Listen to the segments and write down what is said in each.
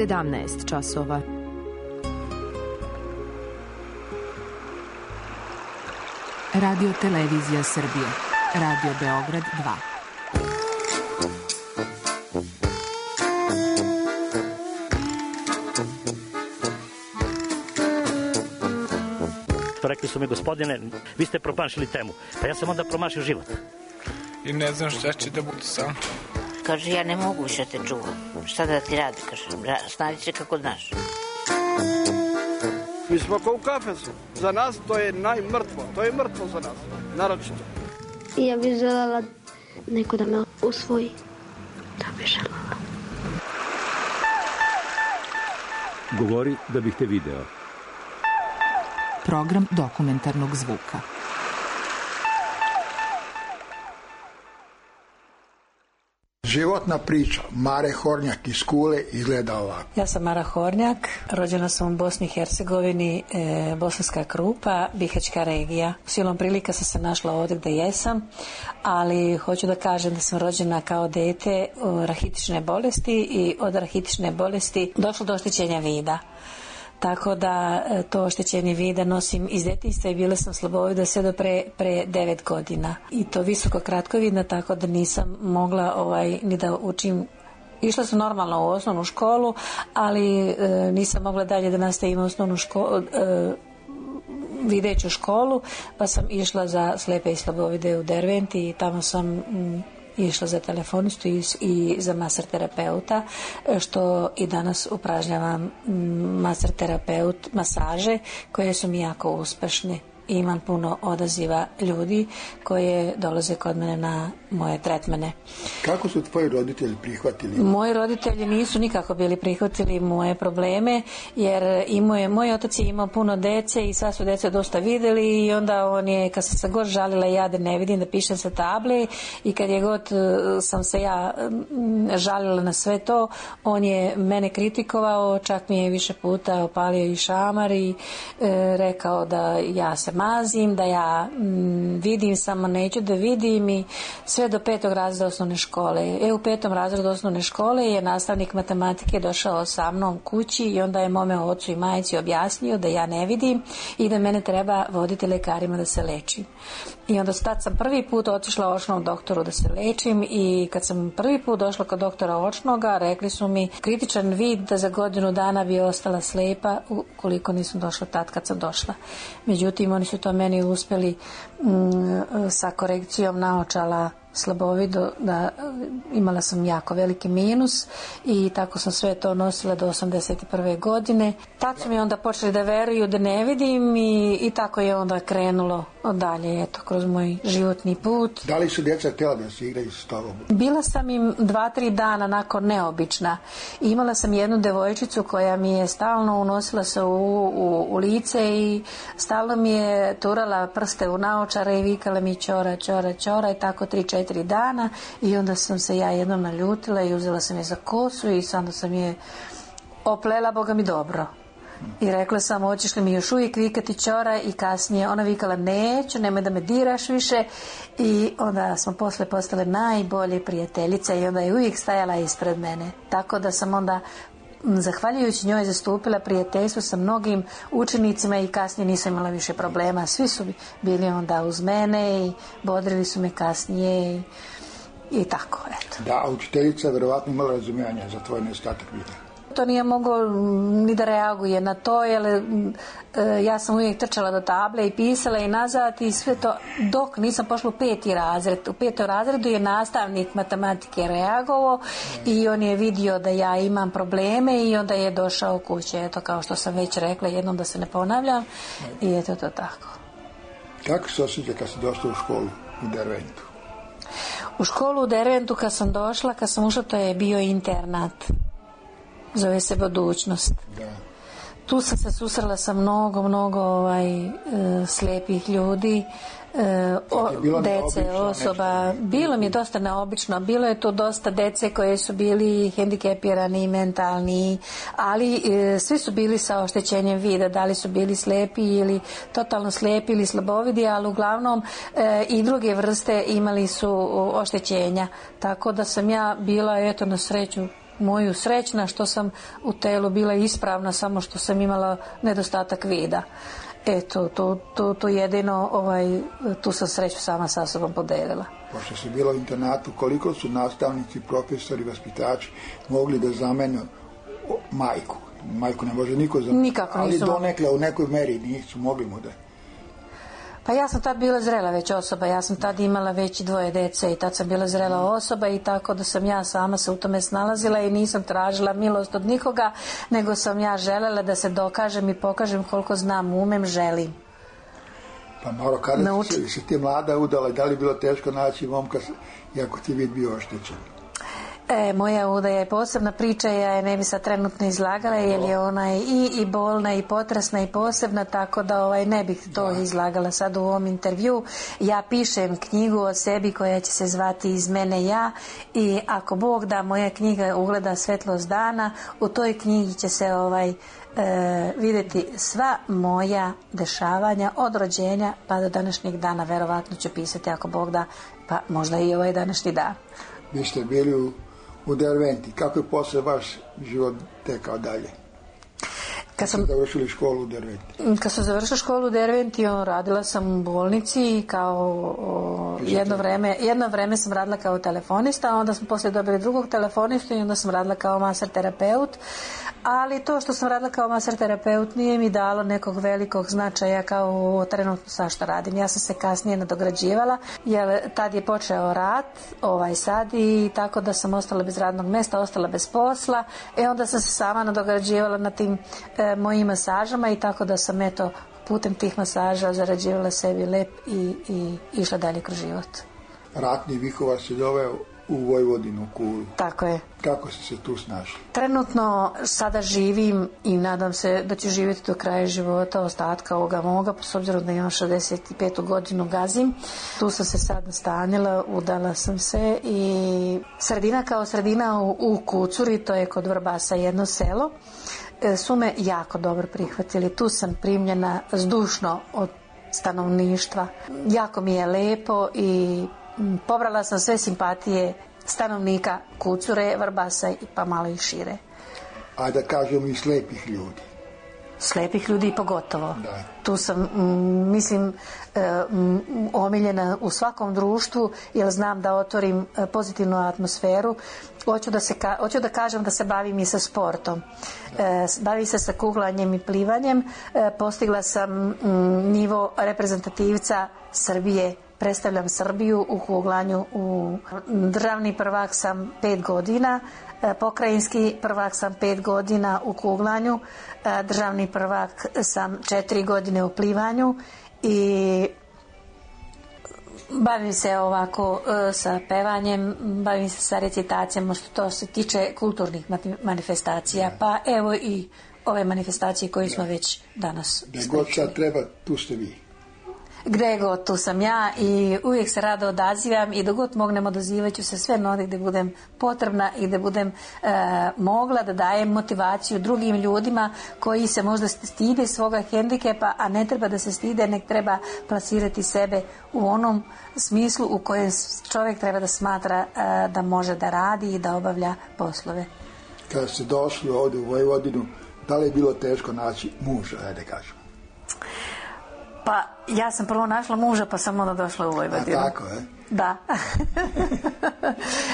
17 časova. Radio Televizija Srbije. Radio Beograd 2. Rekli su mi, gospodine, vi ste promašili temu. Pa ja sam onda promašio život. I ne znam šta će da bude sam. Kaže, ja ne mogu više te čuvam. Šta da ti radi, kaže, snađi se kako znaš. Mi smo kao u kafesu. Za nas to je najmrtvo. To je mrtvo za nas, naročito. Ja bih želela neko da me usvoji. Da bih želela. Govori da bih te video. Program dokumentarnog zvuka. Životna priča Mare Hornjak iz Kule izgleda ovako. Ja sam Mara Hornjak, rođena sam u Bosni i Hercegovini, Bosanska Krupa, Bihaćka regija. Silom prilika sam se našla ovdje gdje jesam, ali hoću da kažem da sam rođena kao dete rahitične bolesti i od rahitične bolesti došlo do oštećenja vida. Tako da to oštećenje vida nosim iz detinjstva i bila sam slabovida sve do pre 9 godina. I to visoko kratkovidna, tako da nisam mogla ni da učim. Išla sam normalno u osnovnu školu, ali nisam mogla dalje da nastavim osnovnu školu, videću školu, pa sam išla za slepe i slabovide u Dervent i tamo sam išla za telefonistu i za maser terapeuta, što i danas upražnjavam maser terapeut masaže koje su mi jako uspešne. Imam puno odaziva ljudi koje dolaze kod mene na moje tretmane. Kako su tvoji roditelji prihvatili? Moji roditelji nisu nikako bili prihvatili moje probleme, jer moj otac je imao puno dece i sva su deca dosta videli i onda on je, kad sam se god žalila ja da ne vidim, da pišem sa table i kad je god sam se ja žalila na sve to, on je mene kritikovao, čak mi je više puta opalio i šamar i rekao da ja se mazim, da ja vidim, samo neću da vidim i sve do 5. razreda osnovne škole. U 5. razredu osnovne škole je nastavnik matematike došao sa mnom kući i onda je mome ocu i majici objasnio da ja ne vidim i da mene treba voditi lekarima da se lečim. I onda tad sam prvi put otišla očnom doktoru da se lečim i kad sam prvi put došla kod doktora očnoga, rekli su mi kritičan vid da za godinu dana bi ostala slepa ukoliko nisam došla tad kad sam došla. Međutim, oni su to meni uspjeli sa korekcijom naočala slabovido, da imala sam jako veliki minus i tako sam sve to nosila do 81. godine. Tad su mi onda počeli da veruju da ne vidim i tako je onda krenulo dalje, kroz moj životni put. Da li su djeca htjela da se igraju s tobom? Bila sam im 2-3 dana nakon neobična. Imala sam jednu devojčicu koja mi je stalno unosila se u lice i stalno mi je turala prste u naočare i vikala mi čora, čora, čora i tako 3-4 dana i onda sam se ja jednom naljutila i uzela sam je za kosu i onda sam je oplela, Boga mi dobro. I rekla sam, hoćeš li mi još uvijek vikati čora i kasnije ona vikala neću, nemoj da me diraš više i onda smo posle postale najbolje prijateljice i onda je uvijek stajala ispred mene. Tako da sam onda zahvaljujući njoj zastupila prijateljstvo sa mnogim učenicima i kasnije nisam imala više problema. Svi su bili onda uz mene i bodrili su me kasnije i tako, eto. Da, učiteljica vjerovatno imala razumijanja za tvoj nedostatak vida. To nije mogao ni da reaguje na to, jer ja sam uvijek trčala do table i pisala i nazad i sve to, dok nisam pošla u 5. razred. U 5. razredu je nastavnik matematike reagovao i on je vidio da ja imam probleme i onda je došao kuće, eto, kao što sam već rekla, jednom da se ne ponavljam i eto to tako. Kako se osjeća kad si došla u školu u Derventu? U školu u Derventu kad sam došla, kad sam ušla, to je bio internat. Zove se Budućnost. Da. Tu sam se susrela sa mnogo slijepih ljudi, dece, osoba. Bilo mi je dosta neobično. Bilo je tu dosta dece koje su bili hendikepirani, mentalni, ali svi su bili sa oštećenjem vida. Da li su bili slijepi ili totalno slijepi ili slabovidi, ali uglavnom i druge vrste imali su oštećenja. Tako da sam ja bila, eto, na sreću, moju srećna što sam u telu bila ispravna, samo što sam imala nedostatak vida. Eto, to jedino, tu sam sreću sama sa sobom podelila. Pošto si bila u internatu, koliko su nastavnici, profesori, vaspitači mogli da zamene majku? Majku ne može niko zameniti. Nikako nisu. Ali donekle u nekoj meri nisu mogli mu da... Pa ja sam tad bila zrela već osoba, ja sam tad imala već 2 dece i tad sam bila zrela osoba i tako da sam ja sama se u tome snalazila i nisam tražila milost od nikoga, nego sam ja želela da se dokažem i pokažem koliko znam, umem, želim. Pa malo kada si ti mlada udala, da li bilo teško naći momka iako ti vid bio oštećen? Moja udaja je posebna priča, ja je ne bi sad trenutno izlagala jer je ona i bolna i potresna i posebna, tako da ne bih to izlagala sad u ovom intervju. Ja pišem knjigu o sebi koja će se zvati Iz mene ja i ako Bog da, moja knjiga ugleda svetlost dana, u toj knjigi će se vidjeti sva moja dešavanja od rođenja pa do današnjeg dana, verovatno ću pisati ako Bog da, pa možda i ovaj današnji dan. Vi ste bili u Derventi. Kako je posle vaš život tekao dalje? Kad sam završili školu u Derventi. Kad sam završila školu u Derventi, radila sam u bolnici kao jedno vreme sam radila kao telefonista, onda sam poslije dobila drugog telefonistu i onda sam radila kao maser terapeut. Ali to što sam radila kao maser terapeut nije mi dalo nekog velikog značaja kao trenutno sa što radim. Ja sam se kasnije nadograđivala jer tad je počeo rat, sad, i tako da sam ostala bez radnog mjesta, ostala bez posla i onda sam se sama nadograđivala na tim mojim masažama i tako da sam putem tih masaža zarađivala sebi lep i išla dalje kroz život. Ratni vihova se doveo u Vojvodinu, Kulu. Tako je. Kako si se tu snašla? Trenutno sada živim i nadam se da ću živjeti do kraja života, ostatka ovoga moga, s obzirom da imam 65. godinu gazim. Tu sam se sad nastanila, udala sam se i sredina kao sredina u Kucuri, to je kod Vrbasa jedno selo, su me jako dobro prihvatili. Tu sam primljena zdušno od stanovništva. Jako mi je lepo i pobrala sam sve simpatije stanovnika Kucure, Vrbasa i pa malo i šire. A da kažemo i slepih ljudi. Slepih ljudi pogotovo. Da. Tu sam, omiljena u svakom društvu jer znam da otvorim pozitivnu atmosferu. Hoću da kažem da se bavim i sa sportom. Bavim se sa kuglanjem i plivanjem. Postigla sam nivo reprezentativca Srbije. Predstavljam Srbiju u kuglanju. Državni prvak sam 5 godina, pokrajinski prvak sam 5 godina u kuglanju, državni prvak sam 4 godine u plivanju i bavim se ovako sa pevanjem, bavim se sa recitacijama što to se tiče kulturnih manifestacija, pa evo i ove manifestacije koje smo već danas da god sad treba, tu ste vi. Gde god, tu sam ja i uvijek se rado odazivam i dok god mognem odazivat ću se sve nodi gde budem potrebna i gde budem mogla da dajem motivaciju drugim ljudima koji se možda stide svoga hendikepa, a ne treba da se stide, nek treba plasirati sebe u onom smislu u kojem čovjek treba da smatra da može da radi i da obavlja poslove. Kada ste došli ovdje u Vojvodinu, da li je bilo teško naći muža, ajde kažem? Pa ja sam prvo našla muža pa sam onda došla u Vojvodinu. A tako, Da.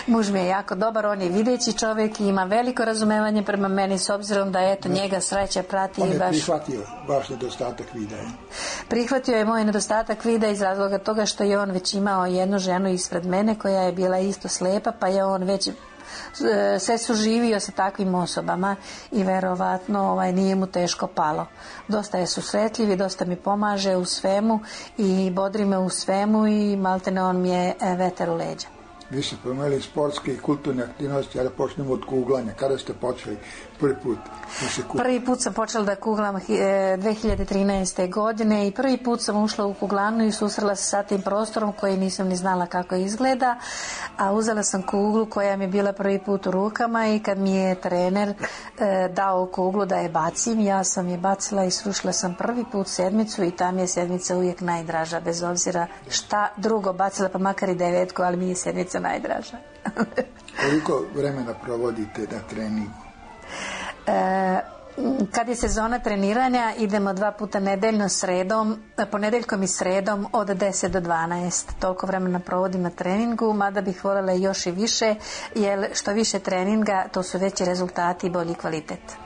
Muž mi je jako dobar, on je videći čovjek i ima veliko razumevanje prema meni s obzirom da njega sreća prati. On je prihvatio vaš nedostatak vida. Prihvatio je moj nedostatak vida iz razloga toga što je on već imao jednu ženu ispred mene koja je bila isto slepa, pa je on već se suživio sa takvim osobama i verovatno nije mu teško palo. Dosta je susretljiv i dosta mi pomaže u svemu i bodri me u svemu i maltene on mi je vetar u leđa. Vi ste promenili sportske i kulturne aktivnosti, ali počnemo od kuglanja. Kada ste počeli prvi put? Prvi put sam počela da kuglam 2013. godine i prvi put sam ušla u kuglanu i susrela se sa tim prostorom koji nisam ni znala kako izgleda, a uzela sam kuglu koja mi je bila prvi put u rukama i kad mi je trener dao kuglu da je bacim, ja sam je bacila i srušila sam prvi put sedmicu i ta mi je sedmica uvijek najdraža, bez obzira šta drugo bacila, pa makar i 9, ali mi je sedmica najdraža. Koliko vremena provodite na treningu? Kad je sezona treniranja, idemo 2 puta nedeljno ponedeljkom i sredom od 10 do 12. Toliko vremena provodim na treningu, mada bih voljela još i više, jer što više treninga, to su veći rezultati i bolji kvalitet.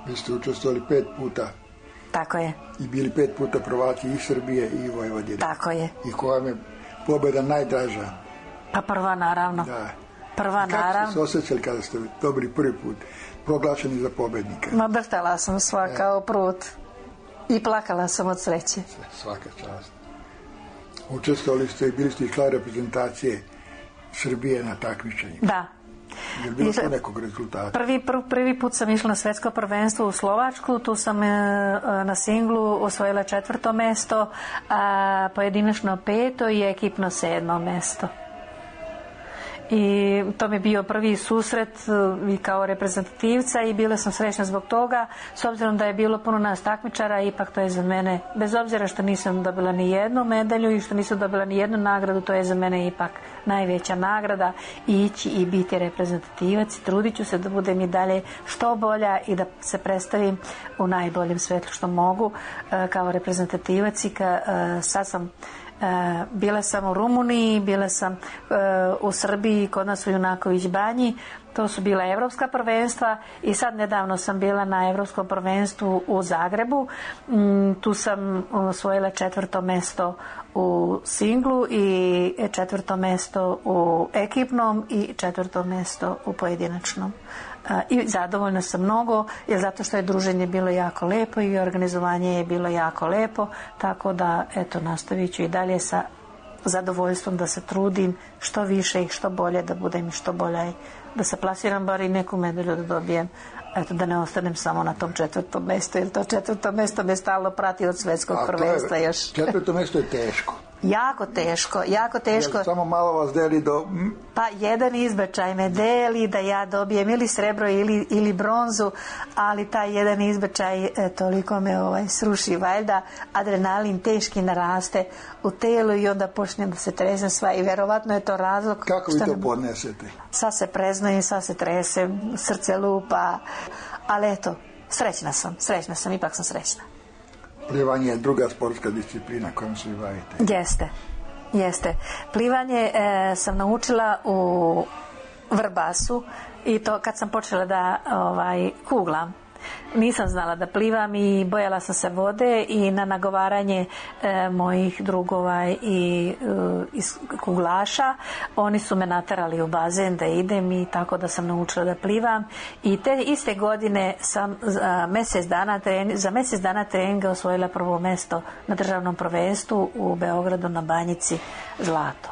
Vi ste učestvovali 5 puta. Tako je. I bili 5 puta prvaci i Srbije i Vojvodine. Tako je. I koja je pobjeda najdraža? Pa prva, naravno. Da. Prva, naravno. Kako ste se osjećali kada ste dobili prvi put proglašeni za pobjednika? Ma drhtala sam sva kao prut. I plakala sam od sreće. Svaka čast. Učestvovali ste i bili ste član reprezentacije Srbije na takmičenju. Da. Je li bilo tu nekog rezultata? Prvi put sam išla na svetsko prvenstvo u Slovačku, tu sam na singlu osvojila 4. mesto, a pojedinačno 5. i ekipno 7. mesto. I to mi je bio prvi susret i kao reprezentativca i bila sam srećna zbog toga, s obzirom da je bilo puno nas takmičara, ipak to je za mene, bez obzira što nisam dobila ni jednu medalju i što nisam dobila ni jednu nagradu, to je za mene ipak najveća nagrada, ići i biti reprezentativac i trudit ću se da budem i dalje što bolja i da se predstavim u najboljem svetlu što mogu kao reprezentativac. I sad sam bila sam u Rumuniji, bila sam u Srbiji, kod nas u Junaković banji, to su bila evropska prvenstva i sad nedavno sam bila na evropskom prvenstvu u Zagrebu, tu sam osvojila 4. mesto u singlu i 4. mesto u ekipnom i 4. mesto u pojedinačnom. I zadovoljna sam mnogo, jer zato što je druženje bilo jako lepo i organizovanje je bilo jako lepo, tako da eto, nastavit ću i dalje sa zadovoljstvom da se trudim što više i što bolje da budem i što bolja i da se plasiram bar i neku medalju da dobijem, eto, da ne ostanem samo na tom 4. mestu, jer to 4. mesto me stalno prati od svetskog prvenstva još. 4. mesto je teško. Jako teško. Jer samo malo vas deli do... Pa jedan izbačaj me deli da ja dobijem ili srebro ili bronzu, ali taj jedan izbačaj toliko me sruši, valjda adrenalin teški naraste u telu i onda počnem da se tresem sva i verovatno je to razlog. Kako vi to podnesete? Sad se preznojim, sad se tresem, srce lupa, ali eto, srećna sam, ipak sam srećna. Plivanje je druga sportska disciplina kojom se vi bavite. Jeste. Plivanje sam naučila u Vrbasu i to kad sam počela da kuglam. Nisam znala da plivam i bojala sam se vode i na nagovaranje mojih drugova i kuglaša oni su me naterali u bazen da idem i tako da sam naučila da plivam i te iste godine sam za mjesec dana treninga osvojila 1. mesto na državnom prvenstvu u Beogradu na Banjici, zlato.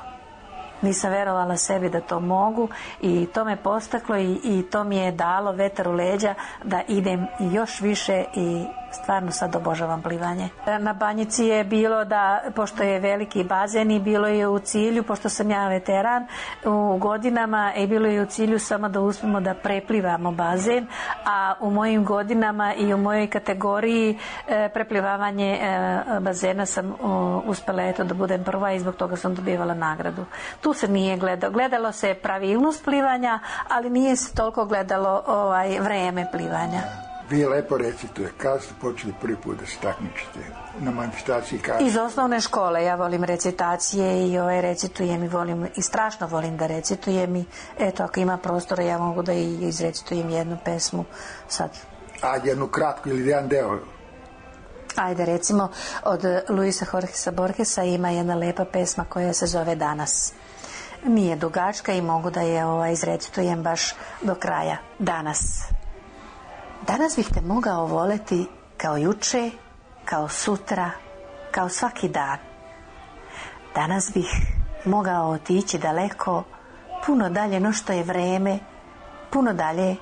Nisam verovala sebi da to mogu i to me postaklo i to mi je dalo vetar u leđa da idem još više i stvarno sad obožavam plivanje. Na Banjici je bilo da, pošto je veliki bazen i bilo je u cilju, pošto sam ja veteran u godinama i bilo je u cilju samo da uspemo da preplivamo bazen, a u mojim godinama i u mojoj kategoriji preplivavanje bazena sam uspela da budem prva i zbog toga sam dobivala nagradu. Tu se nije gledalo se pravilnost plivanja, ali nije se toliko gledalo vreme plivanja. Vi lepo recitujete. Kada ste počeli prvi put da se takmičite na manifestaciji? Iz osnovne škole. Ja volim recitacije i recitujem i volim i strašno volim da recitujem i eto, ako ima prostora ja mogu da i izrecitujem jednu pesmu sad. A jednu kratku ili jedan deo? Ajde, recimo od Luisa Jorgesa Borgesa ima jedna lepa pesma koja se zove Danas. Nije dugačka i mogu da je izrecitujem baš do kraja. Danas bih te mogao voleti kao juče, kao sutra, kao svaki dan. Danas bih mogao otići daleko, puno dalje no što je vreme, puno dalje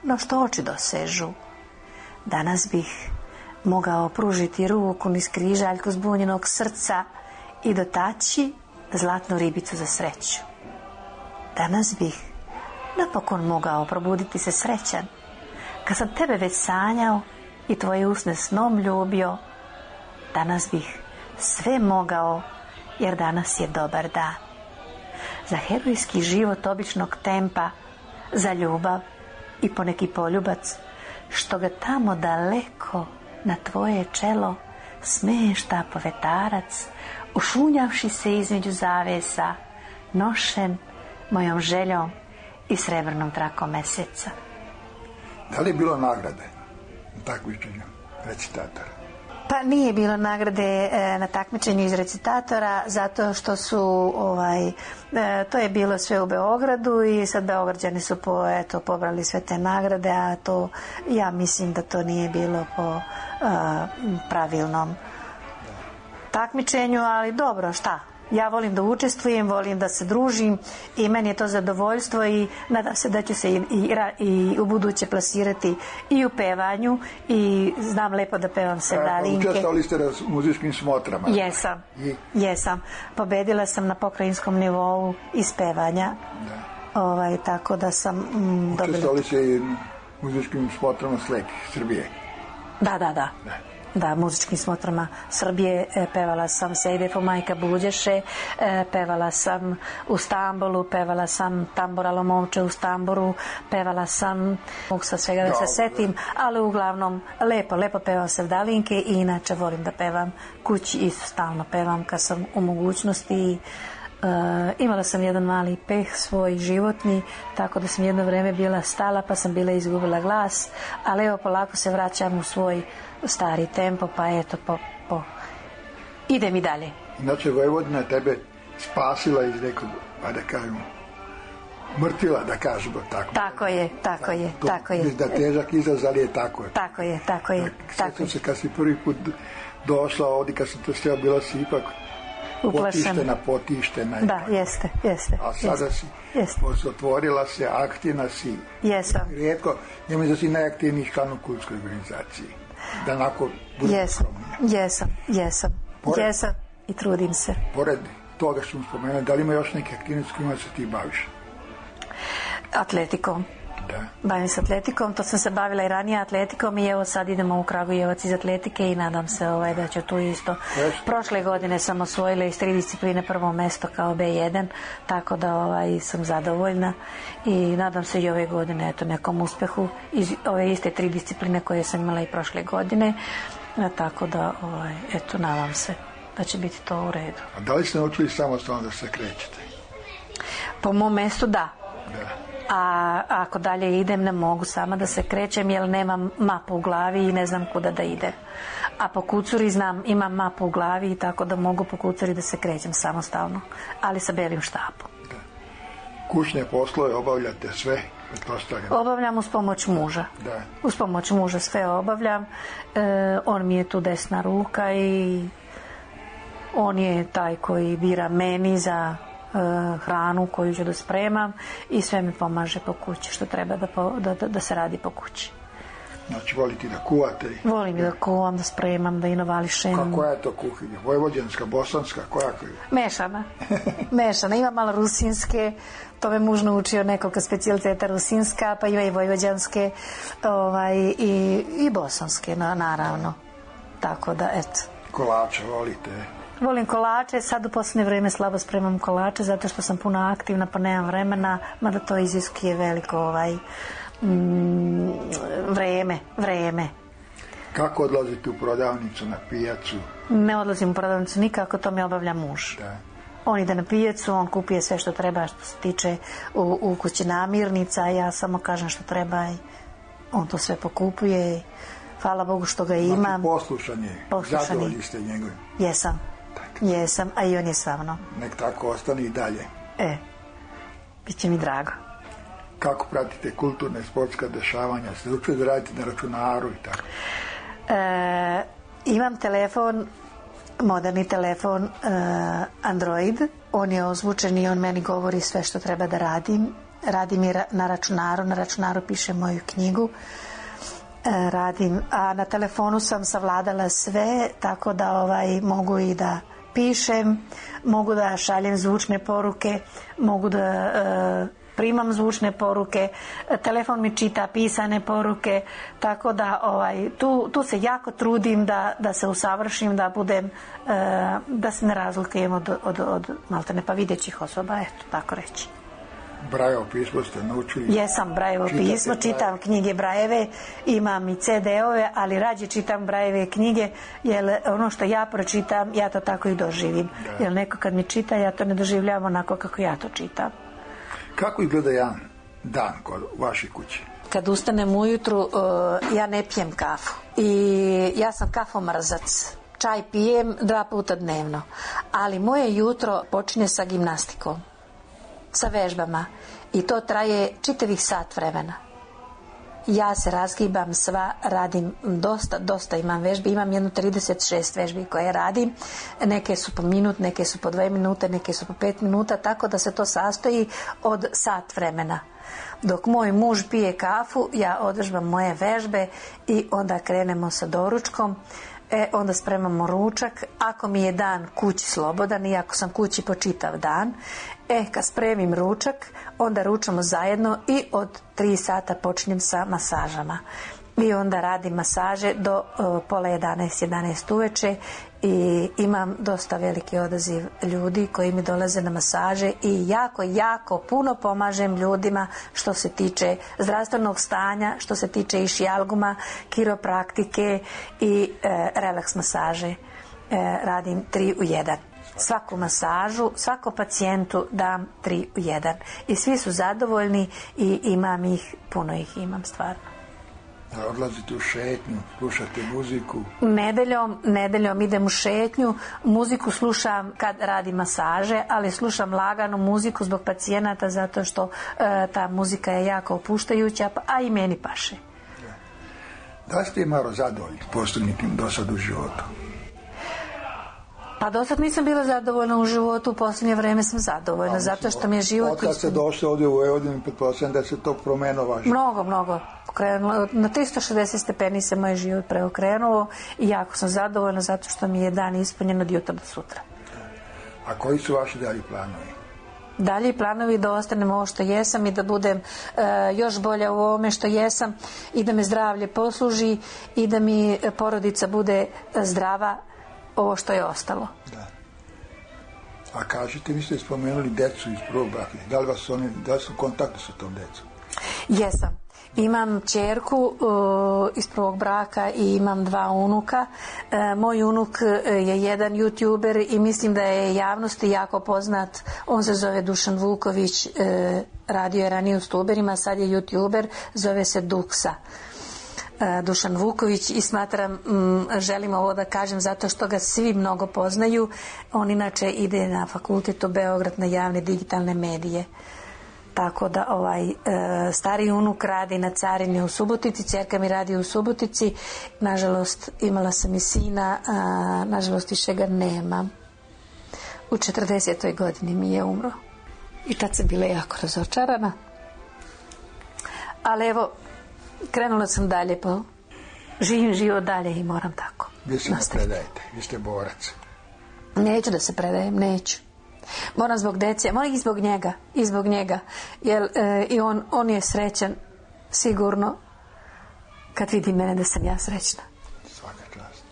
no što oči dosežu. Danas bih mogao pružiti ruku niz križaljku zbunjenog srca i dotaći zlatnu ribicu za sreću. Danas bih napokon mogao probuditi se srećan, kad sam tebe već sanjao i tvoje usne snom ljubio. Danas bih sve mogao, jer danas je dobar dan. Za herojski život običnog tempa za ljubav i poneki poljubac, što ga tamo daleko na tvoje čelo smešta povetarac, ušunjavši se između zavesa, nošen mojom željom i srebrnom trakom meseca. Da li je bilo nagrade na takmičenju recitatora? Pa nije bilo nagrade na takmičenju iz recitatora, zato što su to je bilo sve u Beogradu i sad Beograđani su pobrali sve te nagrade, a to ja mislim da to nije bilo po pravilnom takmičenju, ali dobro, šta? Ja volim da učestvujem, volim da se družim i meni je to zadovoljstvo i nadam se da ću se i u buduće plasirati i u pevanju i znam lepo da pevam sevdalinke. Učestvovali ste na muzičkim smotrama? Jesam. Pobedila sam na pokrajinskom nivou iz pevanja. Tako da sam dobila... Učestvovali ste i muzičkim smotrama slepih Srbije? Da, muzičkim smotrama Srbije, pevala sam Sejdefu Majka Buđeše, pevala sam u Stambolu, pevala sam Tamboralo momče u Stamboru, pevala sam, mogu sa svega da se setim, ali uglavnom lepo pevam sevdalinke i inače volim da pevam kući, isto stalno pevam kad sam u mogućnosti. Imala sam jedan mali peh svoj životni, tako da sam jedno vreme bila stala pa sam bila izgubila glas, ali evo polako se vraćam u svoj stari tempo, pa eto idem i dalje. Inače Vojvodina tebe spasila iz nekog, da kažemo, mrtvila, da kažemo tako. Tako je. Da težak izraz, ali je tako. Tako je. Sjećam se kad si prvi put došla ovdje, kad sam to steo, bila si ipak potištena. Da, jeste. A sada si otvorila se, aktivna si. Jesam. Rijetko, ja mislim da si najaktivniji član u kultskoj organizaciji. Da onako bude skromnija. Jesam i trudim se. Pored toga što smo spomenuli, da li ima još neke aktivnosti kojima se ti baviš? Atletikom. Bavim se atletikom, to sam se bavila i ranije atletikom i evo sad idemo u Kragujevac iz atletike i nadam se da će tu isto. Prošle godine sam osvojila iz 3 discipline prvo mesto kao B1, tako da sam zadovoljna i nadam se i ove godine nekom uspehu iz ove iste 3 discipline koje sam imala i prošle godine, tako da nadam se da će biti to u redu. A da li ste naučili samostalno da se krećete? Po mom mestu da. A ako dalje idem ne mogu sama da se krećem jer nemam mapu u glavi i ne znam kuda da ide. A po kucuri imam mapu u glavi i tako da mogu po kucuri da se krećem samostalno, ali sa belim štapom. Kućne poslove obavljate sve? Obavljam uz pomoć muža. Uz pomoć muža sve obavljam. On mi je tu desna ruka i on je taj koji bira meni za hranu koju ću da spremam i sve mi pomaže po kući što treba da se radi po kući. Znači volite da kuvate? Volim da kuvam, da spremam, da inovališem. Koja je to kuhinja? Vojvođanska, bosanska? Koja? Mešana. Ima malo rusinske, to me muž naučio nekoliko specijaliteta rusinska, pa ima i vojvođanske i bosanske, naravno. Tako da, eto. Kolače volite? Volim kolače, sad u posljednje vrijeme slabo spremam kolače zato što sam puno aktivna pa nemam vremena, mada to iziskuje veliko vreme. Kako odlazite u prodavnicu, na pijacu? Ne odlazim u prodavnicu nikako, to mi obavlja muž. On ide na pijacu, on kupuje sve što treba što se tiče u kući namirnica, a ja samo kažem što treba i on to sve pokupuje. Hvala Bogu što ga imam. Znači poslušan je, zadovoljni ste njegovim. Jesam, a i on je sa mnom. Nek tako ostane i dalje. Bit će mi drago. Kako pratite kulturne, sportska dešavanja? Ste učili da radite na računaru i tako? Imam telefon, moderni telefon Android. On je ozvučen i on meni govori sve što treba da radim. Radim i na računaru pišem moju knjigu. A na telefonu sam savladala sve, tako da mogu i da pišem, mogu da šaljem zvučne poruke, mogu da primam zvučne poruke, telefon mi čita pisane poruke, tako da tu se jako trudim da se usavršim, da budem, da se ne razlikujem od maltene pa videćih osoba, eto, tako reći. Brajevo pismo ste naučili? Jesam, Brajevo pismo, čitam knjige Brajeve, imam i CD-ove, ali rađe čitam Brajeve knjige, jer ono što ja pročitam, ja to tako i doživim. Jer neko kad mi čita, ja to ne doživljavam onako kako ja to čitam. Kako izgleda jedan dan kod vaše kuće? Kad ustanem ujutru, ja ne pijem kafu. I ja sam kafomrzac. Čaj pijem 2 puta dnevno. Ali moje jutro počinje sa gimnastikom. Sa vežbama. I to traje čitavih sat vremena. Ja se razgibam sva, radim dosta imam vežbi. Imam jedno 36 vežbi koje radim. Neke su po minut, neke su po 2 minute, neke su po 5 minuta. Tako da se to sastoji od sat vremena. Dok moj muž pije kafu, ja održbam moje vežbe i onda krenemo sa doručkom. Onda spremamo ručak. Ako mi je dan kući slobodan i ako sam kući po čitav dan, kad spremim ručak, onda ručamo zajedno i od 3 sata počinjem sa masažama. I onda radim masaže do pola 11 uveče i imam dosta veliki odaziv ljudi koji mi dolaze na masaže i jako puno pomažem ljudima što se tiče zdravstvenog stanja, što se tiče išijalguma, kiropraktike i relaks masaže. Radim 3 u 1. Svaku masažu, svakom pacijentu dam 3 u 1. I svi su zadovoljni i imam ih, puno ih imam stvarno. Odlazite u šetnju, slušate muziku? Nedeljom idem u šetnju, muziku slušam kad radim masaže, ali slušam laganu muziku zbog pacijenata zato što ta muzika je jako opuštajuća, a i meni paše. Da li ste malo zadovoljni postignutim do sad u životu? Pa do sad nisam bila zadovoljna u životu, u posljednje vreme sam zadovoljna, zato što mi je život... Od kad ste došli ovdje u Vojvodinu, pretpostavljam da se to promenilo vaše? Mnogo. Na 360 stepeni se moj život preokrenuo i jako sam zadovoljna zato što mi je dan ispunjen od jutra do sutra. A koji su vaši dalji planovi? Dalji planovi da ostanem ovo što jesam i da budem još bolja u ovome što jesam i da me zdravlje posluži i da mi porodica bude zdrava, ovo što je ostalo. Da. A kažete, vi ste spomenuli decu iz prvog braka. Da li su u kontaktu sa tom decom? Jesam. Imam ćerku iz prvog braka i imam 2 unuka. Moj unuk je jedan youtuber i mislim da je javnosti jako poznat. On se zove Dušan Vuković, radio je ranije u Stuberima, sad je youtuber, zove se Duksa. Dušan Vuković i smatram, želim ovo da kažem zato što ga svi mnogo poznaju. On inače ide na fakultet u Beograd na javne digitalne medije. Tako da stari unuk radi na carini u Subotici, ćerka mi radi u Subotici. Nažalost, imala sam i sina, nažalost više ga nemam. U 40. godini mi je umro. I tad sam bila jako razočarana. Ali evo, krenula sam dalje, živim život dalje i moram tako. Vi se ne predajete, vi ste borac. Neću da se predajem, neću. Moram zbog dece, moram i zbog njega, jer i on je srećan sigurno kad vidi mene da sam ja srećna. Svaka čast.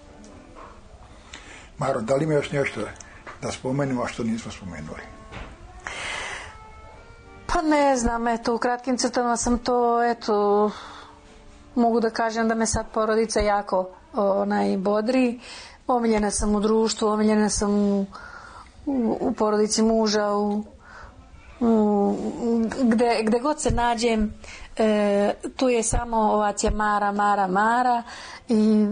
Maro, da li ima još nešto da spomenemo, a što nismo spomenuli? Pa ne znam, u kratkim crtama sam to, mogu da kažem da me sad porodica jako bodri. Omiljena sam u društvu, omiljena sam u porodici muža, gde god se nađem, tu je samo ovacija Mara i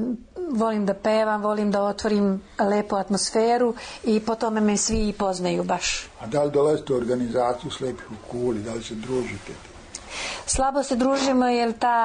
volim da pevam, volim da otvorim lepu atmosferu i po tome me svi i poznaju baš. A da li dolazite u organizaciju Slepih u Kuli, da li se družite? Slabo se družimo jer ta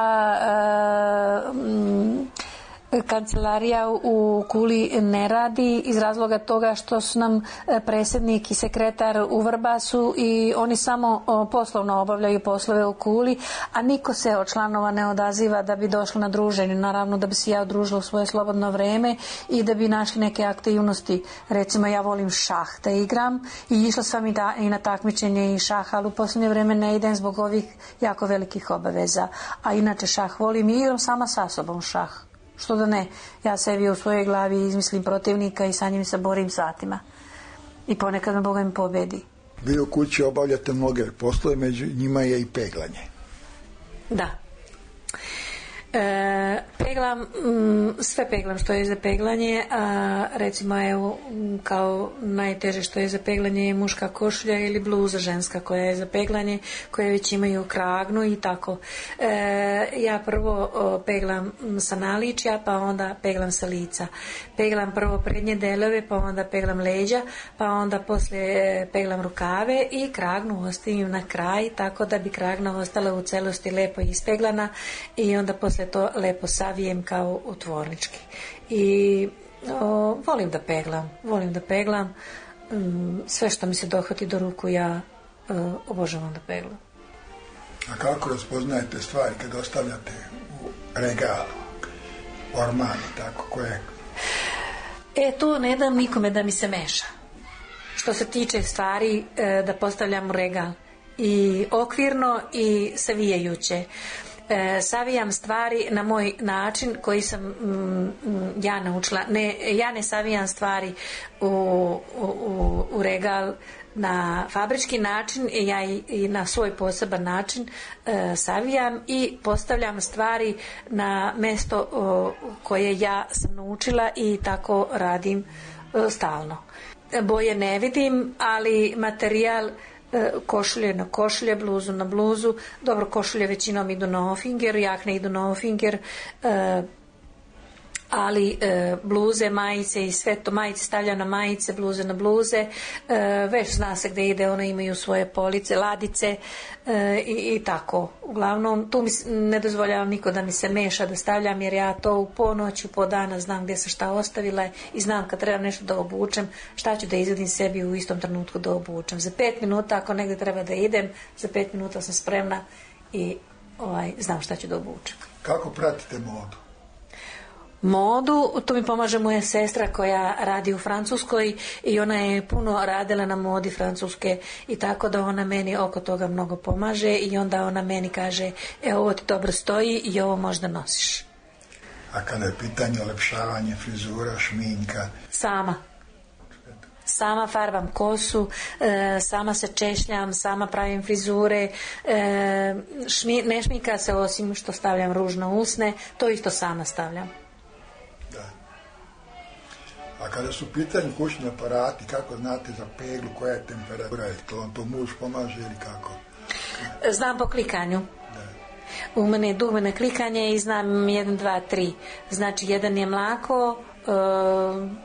kancelarija u Kuli ne radi iz razloga toga što su nam predsjednik i sekretar u Vrbasu i oni samo poslovno obavljaju poslove u Kuli, a niko se od članova ne odaziva da bi došlo na druženje. Naravno da bi se ja udružila u svoje slobodno vreme i da bi našli neke aktivnosti. Recimo ja volim šah da igram i išla sam i na takmičenje i šah, ali u posljednje vreme ne idem zbog ovih jako velikih obaveza. A inače šah volim i igram sama sa sobom šah. Što da ne, ja sebi u svojoj glavi izmislim protivnika i sa njim se borim satima. I ponekad me Boga mi pobedi. Vi u kući obavljate mnoge poslove, među njima je i peglanje. Da. Peglam, sve peglam što je za peglanje, a recimo evo kao najteže što je za peglanje je muška košulja ili bluza ženska koja je za peglanje, koje već imaju kragnu i tako. Ja prvo peglam sa naličja, pa onda peglam sa lica. Peglam prvo prednje delove, pa onda peglam leđa, pa onda poslije peglam rukave i kragnu ostavim na kraj, tako da bi kragna ostala u celosti lepo ispeglana i onda poslije to lepo savijem kao u tvornički. I volim da peglam. Sve što mi se dohvati do ruku ja obožavam da peglam. A kako raspoznajete stvari kad ostavljate u regalu, orman i tako koje? Tu ne dam nikome da mi se meša. Što se tiče stvari da postavljam u regal i okvirno i savijajuće. Savijam stvari na moj način koji sam ja naučila. Ja ne savijam stvari u regal na fabrički način, ja i na svoj poseban način savijam i postavljam stvari na mesto koje ja sam naučila i tako radim stalno. Boje ne vidim, ali materijal košulje na košulje, bluzu na bluzu. Dobro, košulje većinom idu na ofinger, jakne idu na ofinger, ali bluze, majice i sve to, majice stavljam na majice, bluze na bluze, već zna se gde ide, one imaju svoje police, ladice i tako. Uglavnom, tu mi ne dozvoljavam niko da mi se meša da stavljam, jer ja to u ponoć, u po dana znam gde sam šta ostavila i znam kad trebam nešto da obučem, šta ću da izvedim sebi u istom trenutku da obučem. Za 5 minuta, ako negde treba da idem, za 5 minuta sam spremna i znam šta ću da obučem. Kako pratite modu? Modu, to mi pomaže moja sestra koja radi u Francuskoj i ona je puno radila na modi francuske i tako da ona meni oko toga mnogo pomaže i onda ona meni kaže ovo ti dobro stoji i ovo možda nosiš. A kada je pitanje olepšavanje frizura, šminka? Sama farbam kosu, sama se češljam, sama pravim frizure, ne šminka se osim što stavljam ruž na usne, to isto sama stavljam. A kada su u pitanju kućni aparati, kako znate za peglu, koja je temperatura, je to muž pomaže ili kako? Znam po klikanju. U mene je dugme na klikanje i znam 1, 2, 3. Znači 1 je mlako,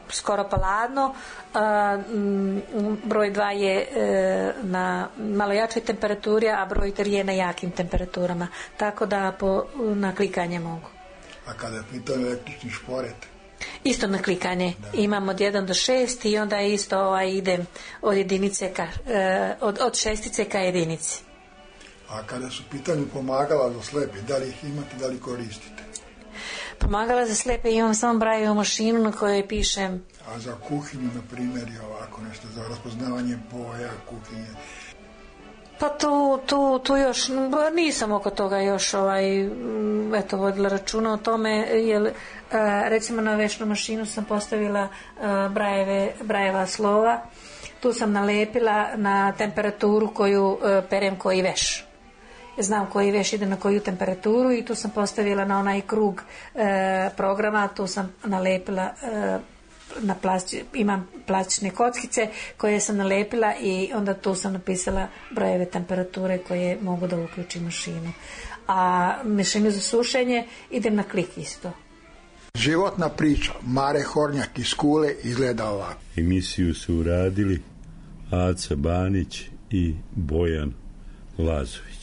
skoro pa ladno, broj 2 je na malo jačoj temperaturi, a broj 3 je na jakim temperaturama. Tako da na klikanje mogu. A kada je pitanje električni šporet? Isto na klikanje. Imam od 1 do 6 i onda isto idem od jedinice od šestice ka jedinici. A kada su pitanju pomagala za slepe, da li ih imate, da li koristite? Pomagala za slepe imam samo Brailleovu mašinu na kojoj pišem. A za kuhinju, na primjer, i ovako nešto, za raspoznavanje boja, kuhinje? Pa tu još nisam oko toga još vodila računa o tome, jer recimo na vešnu mašinu sam postavila Brailleva slova, tu sam nalepila na temperaturu koju perem koji veš. Znam koji veš ide na koju temperaturu i tu sam postavila na onaj krug programa, tu sam nalepila imam plastične kockice koje sam nalepila i onda tu sam napisala brojeve temperature koje mogu da uključim mašinu. A mašinu za sušenje idem na klik isto. Životna priča Mare Hornjak iz Kule izgleda ovako. Emisiju su uradili Aca Banić i Bojan Lazović.